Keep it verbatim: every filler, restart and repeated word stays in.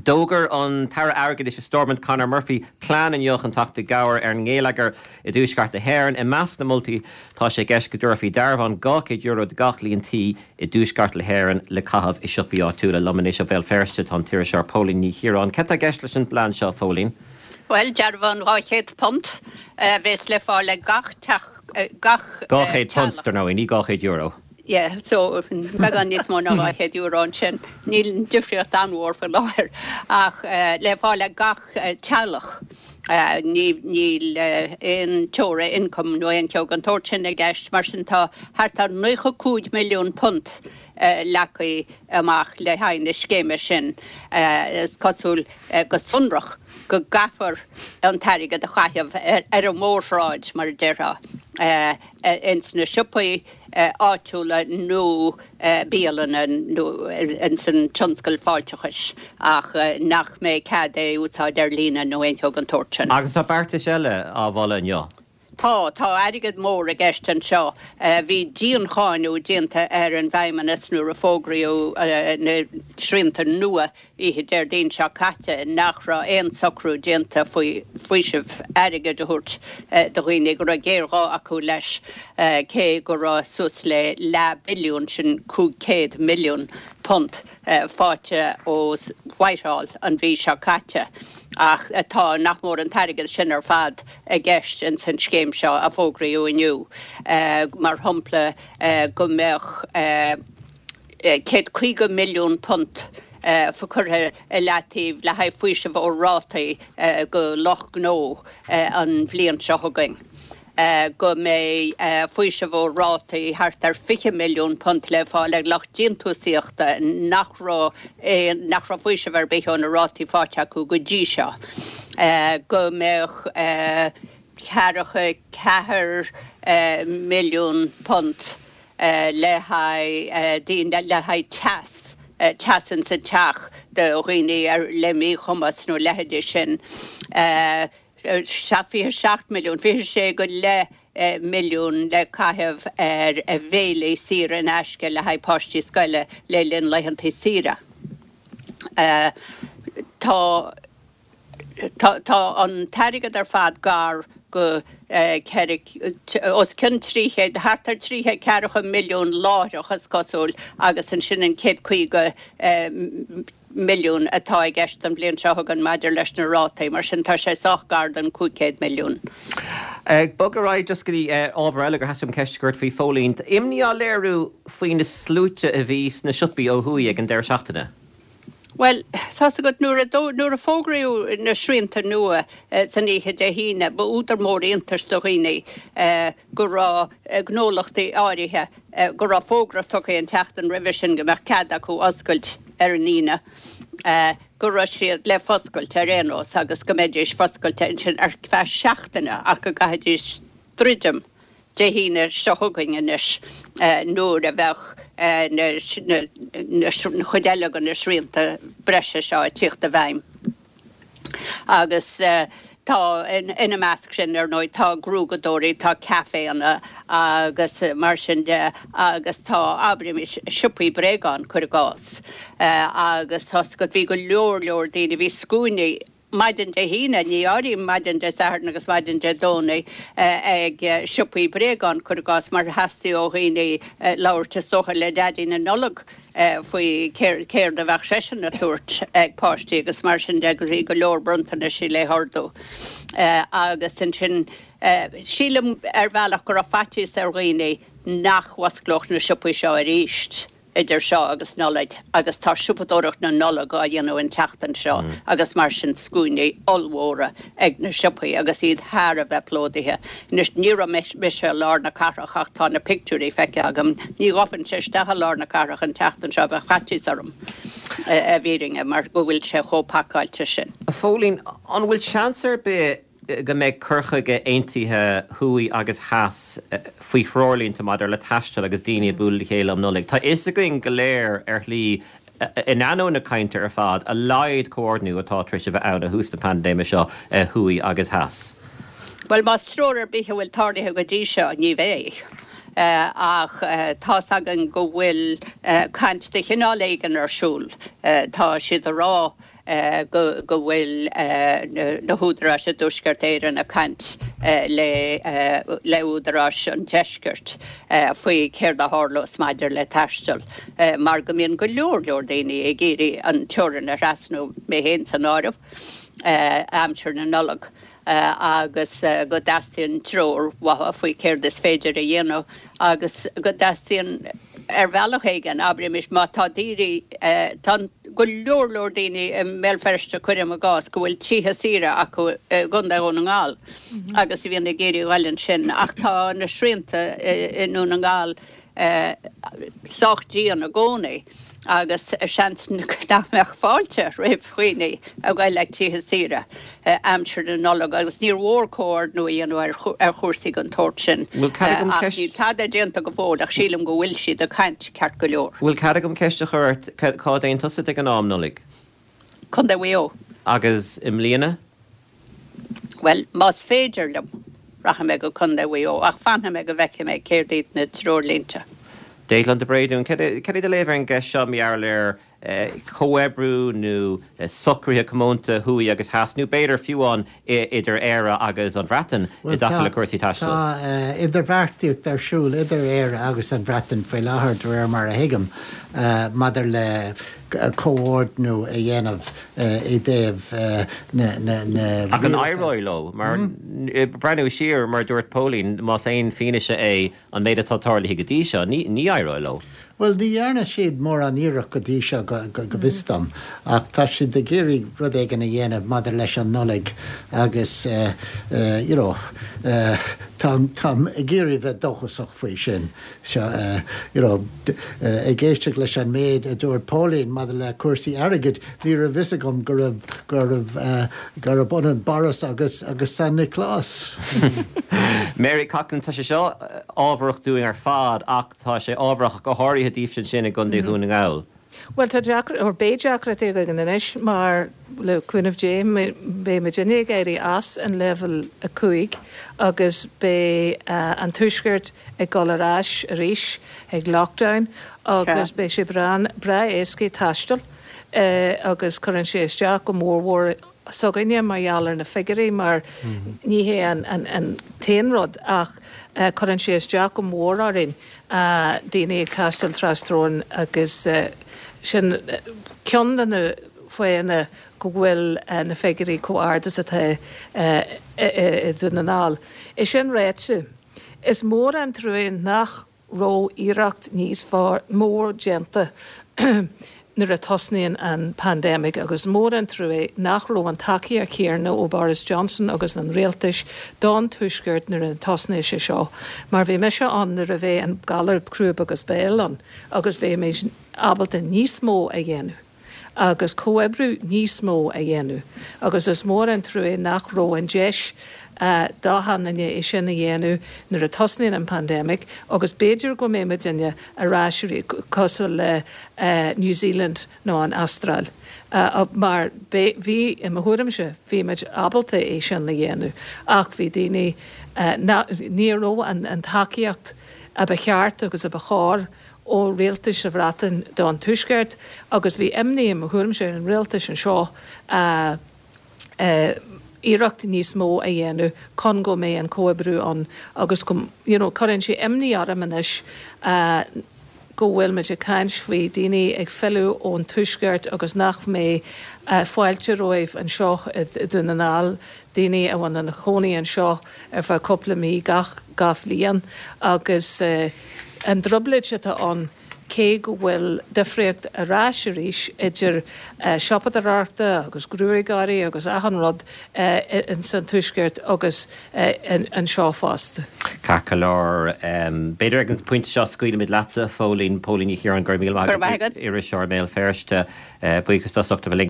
D'fhógair an tAire Airgeadais i Stormont Conor Murphy plean inniu chun teacht i gcabhair ar an ngeilleagar i dtuaisceart na hÉireann. I measc na moltaí tá sé i gceist go dtabharfaí dearbhán dhá chéad euro do gach líon tí i dtuaisceart na hÉireann le caitheamh i siopaí áitiúla. Liom anois ó Bhéal Feirste tá an t-iriseoir Póilín Ní Chiaráin. Cad tá i gceist leis an bplean seo Phóilín? Well dearbhán dhá chéad punt a bheas le fáil ag gach teach gach Dhá chéad punt dar ndóigh, ní dhá chéad euro. Yeah, so beagán níos mó ná dhá chéad euro ansin. Níl an difríocht an-mhór faoi láthair ach uh, le fáil ag gach uh, teaghlach. Uh, níl aon teora ioncaim nó aon cheo den tsórt sin i gceist mar sin tá thart ar nócha cúig milliún punt uh, leagtha amach le haghaidh na scéime sin uh, is cosúil uh, go sonrach go gcaithfear an t-airgead a chaitheamh ar, ar an mhórshráid mar a déarfá. Uh, uh, ins na siopaí uh, áitiúla nó uh, bialanna nó ins an tionscal fáilteachais ach uh, nach mbeidh cead é úsáid ar líne nó aon cheo den tsórt sin. Agus tá beartais eile á mholadh inniu. Tá tá airgead mór i gceist anseo bhí diancháineadh déanta ar an bhFeidhmeannas nuair a fógraíodh na srianta nua oíche Déardaoin seo caite nach raibh aon socrú déanta faoi faoiseamh airgid a thabhairt do dhaoine go raibh géarghá acu leis cé go raibh suas le leath billiún sin cúig chéad milliún punt faighte ó Whitehall an mhí seo caite ach tá nach mór an t-airgead sin ar fad i gceist in san scéim seo a fógraíodh inniu mar shampla go mbeadh céad caoga milliún punt curtha i leataobh le haghaidh faoiseamh ó rátaí go lucht gnó an bhliain seo chugainn. go mbeidh faoiseamh ó rátaí thart ar fiche milliún punt le fáil ag lucht déantúsaíochta nach raibh nach raibh faoiseamh ar bith ó na rátaí faighte acu go dtí seo. Go mbeadh ceathracha ceathair milliún punt le haghaidh daoine le haghaidh teas teas insa teach do dhaoine ar le míchumas nó leithéidí sin. fiche seacht milliún, fiche sé go leith milliún le caitheamh ar a bhéilí saor in aisce le haghaidh páistí scoile le linn laethanta saoire. Tá Tá an t-airgead ar fad gar go os cionn trí chéad thart ar trí chéad ceathracha milliún láithreach is cosúil agus ansin an céad caoga milliún atá i gceist an bhliain seo chugainn maidir leis na rátaí, mar sin tá sé sách gar don cúig chéad milliún. Ag bogadh ar aghaidh just go dtí ábhar eile gur theastaigh uaim ceist a chur ort faoi Phóilín. Imní á léiriú faoi na sluaite a bhí sna siopaí ó thuaidh ag an deireadh seachtaine. Well, tá's agat nuair a nuair a fógraíodh na srianta nua san oíche Dé hAoine, ba údar mór iontais do dhaoine go raibh gnólachtaí áirithe go raibh fógra tugtha an tseachtain roimhe sin go mbeadh cead acu oscailt ar an Aoine, go raibh siad le foscailt ar aon nós agus go mbeidís foscailte ansin ar feadh seachtaine ach go gcaithfidís druidim Dé hAoine seo chugainn anois nuair a bheadh na chuid eile de na srianta breise seo ag tíocht i bhfeidhm. Agus tá ina measc sin ar ndóigh tá gruaigeadóirí, tá caiféanna agus mar sin de agus tá abraimis siopaí bréagán cuir i gcás. Agus tá bhí go leor leor daoine bhí scuainí maidin Dé hAoine, ní áirím maidin Dé Sathairn agus maidin Dé Domhnaigh ag siopaí bréagán cuir i gcás mar theastaigh ó dhaoine labhairt is dócha le Daidí na Nollag faoi céard a bheadh seisean ag tabhairt ag páistí agus mar sin de agus bhí go leor bronntanais le hordú. Agus ansin sílim ar bhealach go raibh faitíos ar dhaoine nach bhfosclódh na siopaí seo arís. idir seo agus Nollaig agus tá siopadóireacht na Nollag á dhéanamh an tseachtain seo agus mar sin scuainí ollmhóra ag na siopaí agus iad thar a bheith plódaithe. Anois ní raibh mise i lár na cathrach ach tá na pictiúirí feicthe agam. Ní ghabhfainnse isteach i lár na cathrach an tseachtain seo bheadh faitíos orm i bhfírinne mar go bhfuil sé chomh pacáilte sin. A Phóilín, an bhfuil seans ar bith go mbeidh cur chuige aontaithe thuaidh agus theas faoi threoirlínte maidir le taisteal agus daoine ag bualadh le chéile um Nollaig. Tá fhios againn go léir ar shlí, in ainneoin na cainte ar fad, a laghad comhordnú atá tar éis a bheith ann ó thús na paindéime seo thuaidh agus theas. Bhuel, más treoir ar bith a bhfuil tarlaithe go dtí seo, ní bheidh. Ach tá's againn go bhfuil caint de chineál éigin ar siúl. Tá siad ag rá go go bhfuil na húdaráis i dTuaisceart Éireann ag caint le le údaráis an deiscirt faoi céard a tharlós maidir le taisteal mar go mbíonn go leor leor daoine ag iarraidh an teorainn a thrasnú mé féin san áireamh aimsir na Nollag. agus go dteastaíonn treoir uathu faoi céard is féidir a dhéanamh agus go dteastaíonn ar bhealach éigin abraimis má tá daoine tá go leor leor daoine i mBéal Feirste cuirim i gcás go bhfuil tithe saoire acu i gContae Dhún na nGall agus a bhíonn ag iarraidh dul ansin ach tá na srianta i nDún na nGall sách dian i gcónaí agus seans nach mbeadh fáilte roimh dhaoine a ghoil ag tithe saoire aimsir na Nollag agus níor mhór comhordnú a dhéanamh ar chúrsaí den tsórt sin. Ach níl tada déanta go fóill ach sílim go bhfuil siad ag caint ceart go leor. Bhfuil cead agam ceist a chur ort cá dtéann tusa ag an am Nollaig? Contae Mhaigh Eo. Agus i mbliana? Well, más féidir liom, rachaidh mé go Contae Mhaigh Eo ach fanfaidh mé go bhfeicfidh mé céard iad na treoirlínte. Declan de Bréadún, cad é do léamh ar an gceist seo mar gheall ar chomhoibriú nó socruithe comónta thuaidh agus theas, nó b'fhéidir fiú amháin idir Éire agus an Bhreatain i dtaca le cúrsaí taistil? Tá idirbheartaíocht ar siúl idir Éire agus an Bhreatain faoi láthair, de réir mar a thuigim, maidir le comhordnú a dhéanamh i dtaobh na Ach an éireoidh leo? Mar breathnú siar, mar a dúirt Póilín, más aon fianaise é an méid atá tarlaithe go dtí seo, ní éireoidh leo. Bhuel, ní dhearna siad mórán iarracht go dtí seo, go bhfios dom, ach tá siad ag iarraidh rud éigin a dhéanamh maidir leis an Nollaig agus you know táim ag iarraidh bheith dóchasach faoi sin. You know, ag éisteacht leis an méid a dúirt Póilín maidir le cúrsaí airgid, ní raibh fhios agam go raibh go raibh gurb ionann Boris agus agus San Nioclás. Mary Coughlan, tá sé seo ábharach dúinn ar fad ach tá sé ábharach go háirithe daoibhse ansin i gContae Dhún na nGall. Bhuel tá deacra or beidh deacrachtaí againn anois mar le cúnamh Dé beidh muidinne ag éirí as an leibhéal a cúig agus beidh an Tuaisceart ag dul ar ais arís ag lockdown agus beidh sé breá breá éasca taisteal agus cuireann sé isteach go mórmhór s'againne mar gheall ar na figiúirí mar ní hé an an t-aon rud ach cuireann sé isteach go mór orainn daoine ag taisteal trasteorann agus sin ceann de na fáthanna go bhfuil na figiúirí chomh ard is atá i Dún na nGall. É sin ráite, is mór an trua nach raibh iarracht níos fearr, mór déanta nuair a tosnaíonn an pandemic agus mór an trua nach raibh an tacaíocht chéanna ó Boris Johnson agus an rialtais don Tuaisceart nuair a tosnaigh sé seo. Mar bhí mise ann nuair a bhí an galar crúb agus béil ann agus bhí muid ábalta níos mó a dhéanamh agus comhoibriú níos mó a dhéanamh agus is mór an trua nach raibh an deis d'achan duine é sin a dhéanamh nuair a tosnaíonn an pandemic agus b'fhéidir go mbeidh muidinne ar ais cosúil le New Zealand nó an Astráil mar bhí i mo thuairimse bhí muid ábalta é sin a dhéanamh ach bhí daoine ní raibh an tacaíocht a ba cheart agus a ba chóir ó rialtais sa Bhreatain don Tuaisceart agus bhí imní i mo thuairimse ar an rialtas anseo iarracht níos mó a dhéanamh chun go mbeidh an comhoibriú ann agus go you know cuireann sé imní orm anois go bhfuil muid ag caint faoi daoine ag filleadh ón Tuaisceart agus nach mbeidh fáilte rompu anseo i Dún na nGall, daoine a bhfuil ina chónaí anseo ar feadh cúpla mí gach gach bhliain agus an trioblóid atá ann cé go bhfuil difríocht ar ais arís idir siopadóireachta agus gruagairí agus achan rud ins an Tuaisceart agus anseo fosta. Ceart go leor. B'fhéidir ag an bpointe seo scaoilfimid leatsa, Phóilín, Póilín Ní Chiaráin, go raibh míle maith agat, iriseoir i mBéal Feirste. Buíochas as ucht a bheith linn.